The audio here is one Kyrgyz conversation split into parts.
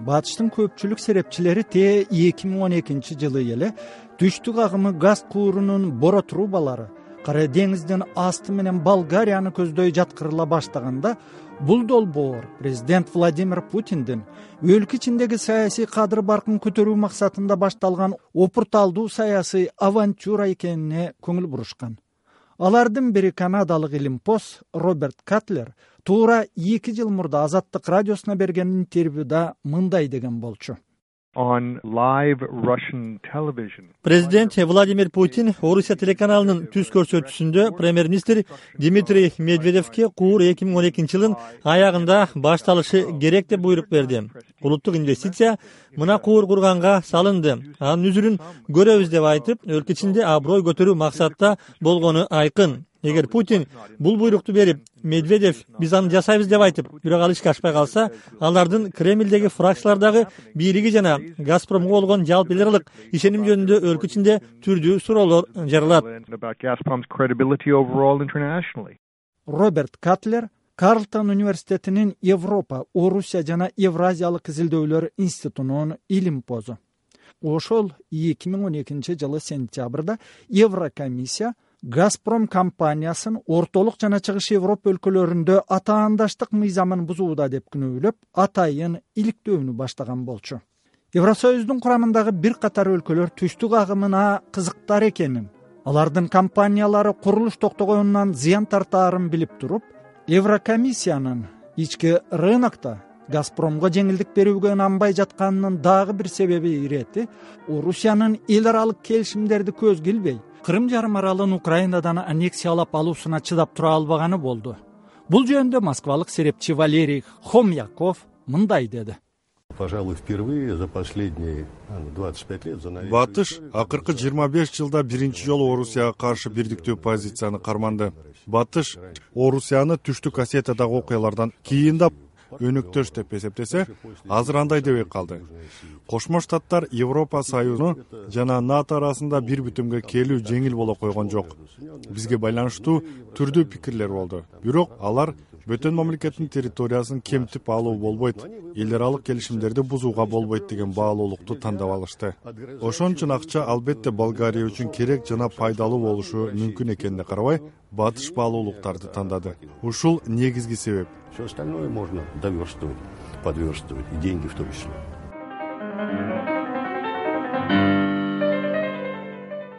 Батыштын көпчүлүк серепчилери 2012-жылы эле түштүк агымы газ куурунун боро трубалары Кара деңиздин асты менен Болгарияны көздөй жаткырыла баштаганда, бул долбоор президент Владимир Путиндин өлкө ичиндеги саясий кадыр баркын көтөрүү максатында башталган опурталдуу саясий авантюра экенине көңүл бурушкан. Алардын бири канадалык илимпоз Роберт Катлер туура 2 жыл мурда Азаттык радиосуна берген интервьюда мындай деген болчу. Президент Владимир Путин Орусия телеканалынын түз көрсөтүүсүндө премьер-министр Дмитрий Медведевке куур 2012-жылдын аягында башталышы керек деп буйрук берди. Улуттук инвестиция мына куур курганга салынды. Анын үзүрүн көрөбүз деп айтып, өлкө ичинде аброй көтөрүү максатта болгону айкын. Эгер Путин бул буйрукту берип, Медведев биз аны жасайбыз деп айтып, бирок ал ишке ашпай калса, алардын Кремлдеги фракциялардагы бийлиги жана Газпромго болгон жалпы эл аралык ишеним жөнүндө өлкө ичинде түрдүү суроолор жаралат. Роберт Катлер Карлтон университетинин Европа, Орусия жана Евразиялык изилдөөлөр институтунун илимпозу. Ошол 2012-жылы сентябрда Еврокомиссия Газпром компаниясын ортолук жана чыгыш Европа өлкөлөрүндө атаандаштык мыйзамын бузууда деп күнөөлөп, атайын иликтөөнү баштаган болчу. Евросоюздун курамындагы бир катар өлкөлөр түштүк агымына кызыктар экенин, алардын компаниялары курулуш токтогонунан зыян тартаарын билип туруп, Еврокомиссиянын ички рынокто Газпромго жеңилдик берүүгө ынанбай жатканынын дагы бир себеби ирети Орусиянын эл аралык келишимдерди көзгө илбей, Кырым жарым аралын Украинадан аннексиялап алуусуна чыдап тура албаганы болду. Бул жөнүндө москвалык серепчи Валерий Хомяков мындай деди. Батыш акыркы 25 жылда биринчи жолу Орусияга каршы бирдиктүү позицияны карманды. Батыш Орусияны түштүк Осетиядагы окуялардан кийин да өнөктөш деп эсептесе, азыр андай дебей калды. Кошмо Штаттар Европа Союзу жана НАТО арасында бир бүтүмгө келүү жеңил боло койгон жок. Бизге байланыштуу түрдүү пикирлер болду. Бирок алар бөтөн мамлекеттин территориясын кемтип алуу болбойт, эл аралык келишимдерди бузууга болбойт деген баалуулукту тандап алышты. Ошон үчүн акча албетте Болгария үчүн керек жана пайдалуу болушу мүмкүн экенине карабай, батыш баалуулуктарды тандады. Ушул негизги себеп. Все остальное можно доверстывать, подверстывать, и деньги в том числе.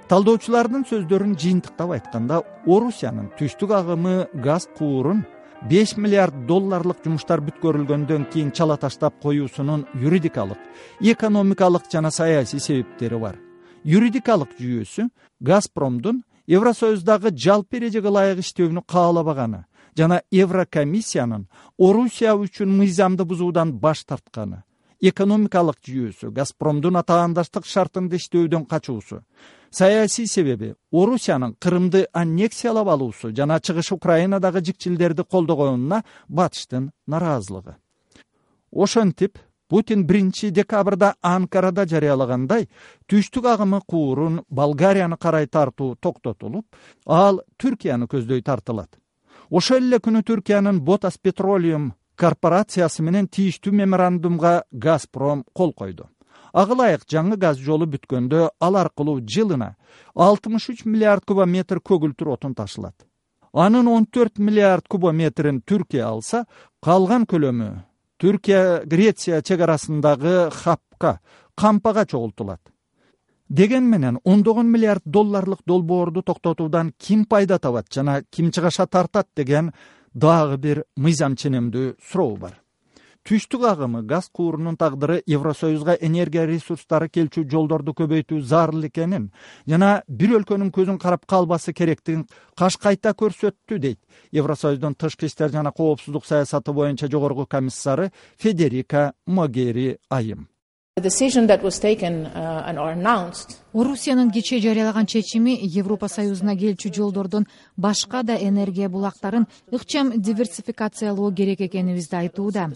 Талдоочулардын сөздөрүн жыйынтыктап айтканда, Орусиянын түштүк агымы газ куурун $5 миллиард жумуштар бүткөрүлгөндөн кийин чала таштап коюусунун юридикалык, экономикалык жана саясий себептери бар. Юридикалык жүйөсү Газпромдун Евросоюздагы жалпы эрежеге ылайык иштөөнү каалабаганы жана Еврокомиссиянын Орусия үчүн мыйзамды бузуудан баш тартканы. Экономикалык жүйөсү Газпромдун атаандаштык шартында иштөөдөн качуусу. Саясий себеби Орусиянын Кырымды аннексиялап алуусу жана чыгыш Украинадагы жикчилдерди колдогонуна батыштын нараазылыгы. Ошентип, Путин 1 декабрда Анкарада жарыялагандай, түштүк агымы куурун Болгарияны карай тартуу токтотулуп, ал Түркияны көздөй тартылат. Ошол эле күнү Түркиянын Botas Petroleum корпорациясы менен тийиштүү меморандумга Газпром кол койду. Ага ылайык жаңы газ жолу бүткөндө ал аркылуу жылына 63 миллиард кубометр көгүлтүр отун ташылат. Анын 14 миллиард кубометрин Түркия алса, калган көлөмү Түркия-Греция чек арасындагы хапка, кампага чогултулат. Деген менен $10 миллиард долбоорду токтотуудан ким пайда табат жана ким чыгаша тартат деген дагы бир мыйзам ченемдүү суроо бар. Түштүк агымы газ куурунун тагдыры Евросоюзга энергия ресурстары келчү жолдорду көбөйтүү зарыл экенин жана бир өлкөнүн көзүн карап калбасы керектигин каш кайта көрсөттү дейт Евросоюздун тышкы иштер жана коопсуздук саясаты боюнча жогорку комиссары Федерика Могери айым. Орусиянын кечээ жарыялаган чечими Европа Союзуна келчү жолдордон башка да энергия булактарын ыкчам диверсификациялоо керек экенибизди айтууда.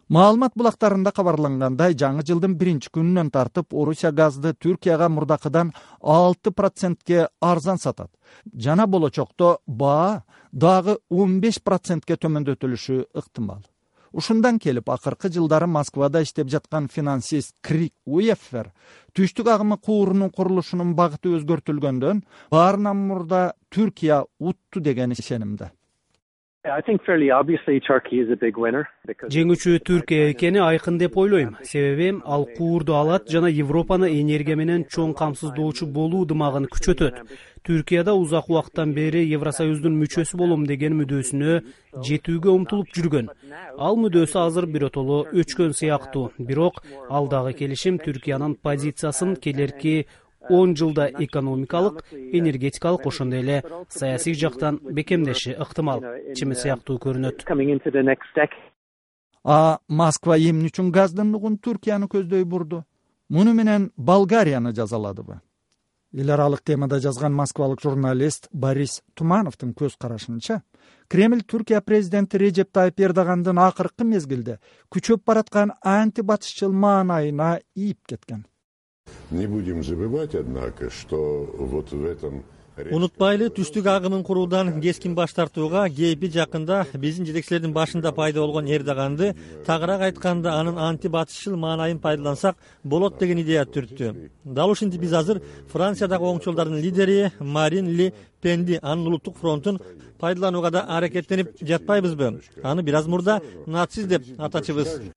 Маалымат булактарында кабарлангандай, жаңы жылдын 1-күнүнөн тартып Орусия газды Түркияга мурдакыдан 6%ке арзан сатат. Жана болочокто баа дагы 15%ке төмөндөтүлүшү ыктымал. Ушундан келип акыркы жылдары Москвада иштеп жаткан финансист Крик Уеффер түштүк агымы куурунун курулушунун багыты өзгөртүлгөндөн баарынан мурда Түркия утту деген ишенимде. Жеңүүчү Түркия экени айкын деп ойлойм. Себеби ал куурду алат жана Европаны энергия менен чоң камсыздоочу болуу дымагын күчөтөт. Түркияда узак убакыттан бери Евросоюздун мүчөсү болом деген мүдөөсүнө жетүүгө умтулуп жүргөн. Ал мүдөөсү азыр биротоло өчкөн сыяктуу. Бирок алдагы келишим Түркиянын позициясын келерки 10 жылда экономикалык, энергетикалык ошондой эле саясий жактан бекемдеши ыктымал. Чими сыяктуу көрүнөт. Москва эмне үчүн газдын нугун Түркияны көздөй бурду? Муну менен Болгарияны жазаладыбы? Эл аралык темада жазган москвалык журналист Борис Тумановдун көз карашынча, Кремль Түркия президенти Режеп Тайып Эрдогандын акыркы мезгилде күчөп бараткан антибатышчыл маанайына ийип кеткен. Не будем забывать, однако, что вот в этом... Унутпайлы, түштүк агымын куруудан кескин баш тартууга кейпи жакында биздин жетекчилердин башында пайда болгон Эрдоганды, тагыраак айтканда анын антибатышчыл маанайын пайдалансак болот деген идея түрттү. Дал ушинтип биз азыр Франциядагы оңчолдордун лидери Марин Ле Пенди анын улуттук фронтун пайдаланууга да аракеттенип жатпайбызбы? Аны бир аз мурда нацист деп атачыбыз.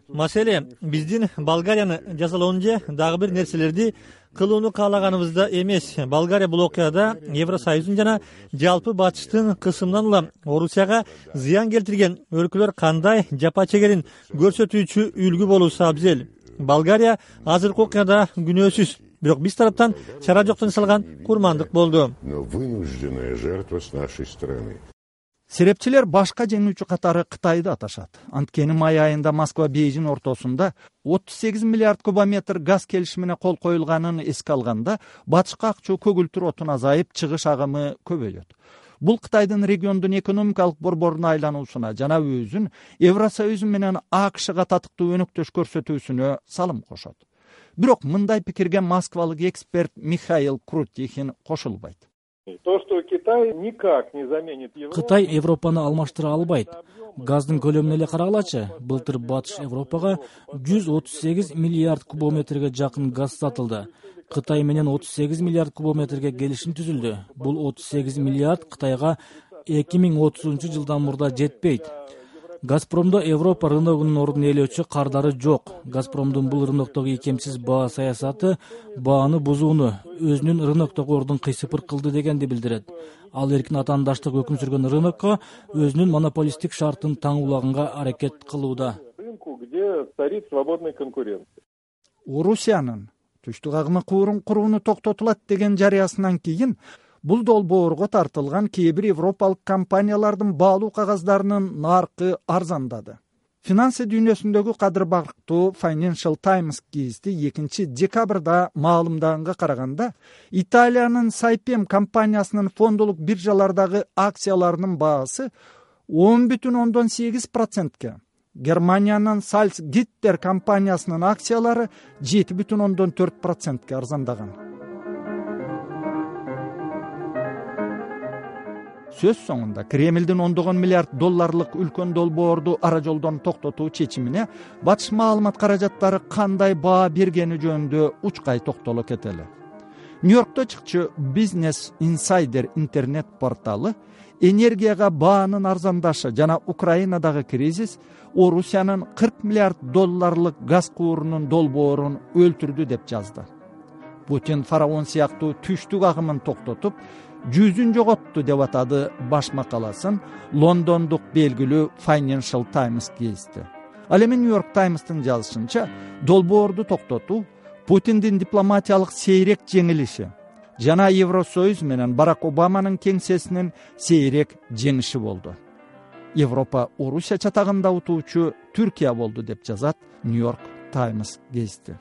Маселе биздин Болгарияны жазалоон же дагы бир нерселерди кылууну каалаганыбызда эмес. Болгария бул окуяда Евросоюздун жана жалпы батыштын кысымынан улам Орусияга зыян келтирген өлкөлөр кандай жапа чегерин көрсөтүүчү үлгү болуусу абзел. Болгария азыркы окуяда күнөөсүз, бирок биз тараптан чара жоктон жасалган курмандык болду. Но вынужденная жертва с нашей стороны. Серепчилер башка жеңүүчү катары Кытайды аташат. Анткени май айында Москва Бейжин ортосунда 38 миллиард кубометр газ келишимине кол коюлганын эске алганда, батышка акчуу көгүлтүр отун азайып, чыгыш агымы көбөйөт. Бул Кытайдын региондун экономикалык борборуна айлануусуна жана өзүн Евросоюз менен АКШга татыктуу өнөктөш көрсөтүүсүнө салым кошот. Бирок мындай пикирге москвалык эксперт Михаил Крутихин кошулбайт. Кытай Европаны алмаштыра албайт. Газдын көлөмүнө эле карагылачы. Былтыр Батыш Европага 138 миллиард кубометрге жакын газ сатылды. Кытай менен 38 миллиард кубометрге келишим түзүлдү. Бул 38 миллиард Кытайга 2030-жылдан мурда жетпейт. Газпромдо Европа рыногунун ордун ээлөөчү кардары жок. Газпромдун бул рыноктогу икемсиз баа саясаты бааны бузууну, өзүнүн рыноктогу ордун кыйсыпыр кылды дегенди билдирет. Ал эркин атаандаштык өкүм сүргөн рынокко өзүнүн монополисттик шартын таңуулаганга аракет кылууда. Орусиянын түштүк агымы куурун курууну токтотулат деген жарыясынан кийин бул долбоорго тартылган кээ бир европалык компаниялардын баалуу кагаздарынын наркы арзандады. Финансы дүйнөсүндөгү кадыр барктуу Financial Times гезити 2-декабрда маалымдаганга караганда, Италиянын Saipem компаниясынын фондолук биржалардагы акцияларынын баасы 10,8%, Германиянын Salzgitter компаниясынын акциялары 7,4% арзандаган. Сөз соңунда Кремлдин $10 миллиард үлкөн долбоорду ара жолдон токтотуу чечимине батыш маалымат каражаттары кандай баа бергени жөнүндө учкай токтоло кетели. Нью-Йоркто чыкчу Business Insider интернет порталы энергияга баанын арзандашы жана Украинадагы кризис Орусиянын $40 миллиард газ куурунун долбоорун өлтүрдү деп жазды. Путин фараон сыяктуу түштүк агымын токтотуп, жүзүн жоготту деп атады баш макаласын Лондондук белгилүү Financial Times гезити. Ал эми New York Times'тын жазышынча, долбоорду токтотуу Путиндин дипломатиялык сейрек жеңилиши жана Евросоюз менен Барак Обаманын кеңсесинин сейрек жеңиши болду. Европа Орусия чатагында утуучу Түркия болду деп жазат New York Times гезити.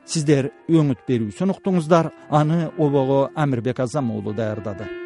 Сиздер өңүт берүүсүн уктуңуздар, аны обого Амирбек Азам уулу даярдады.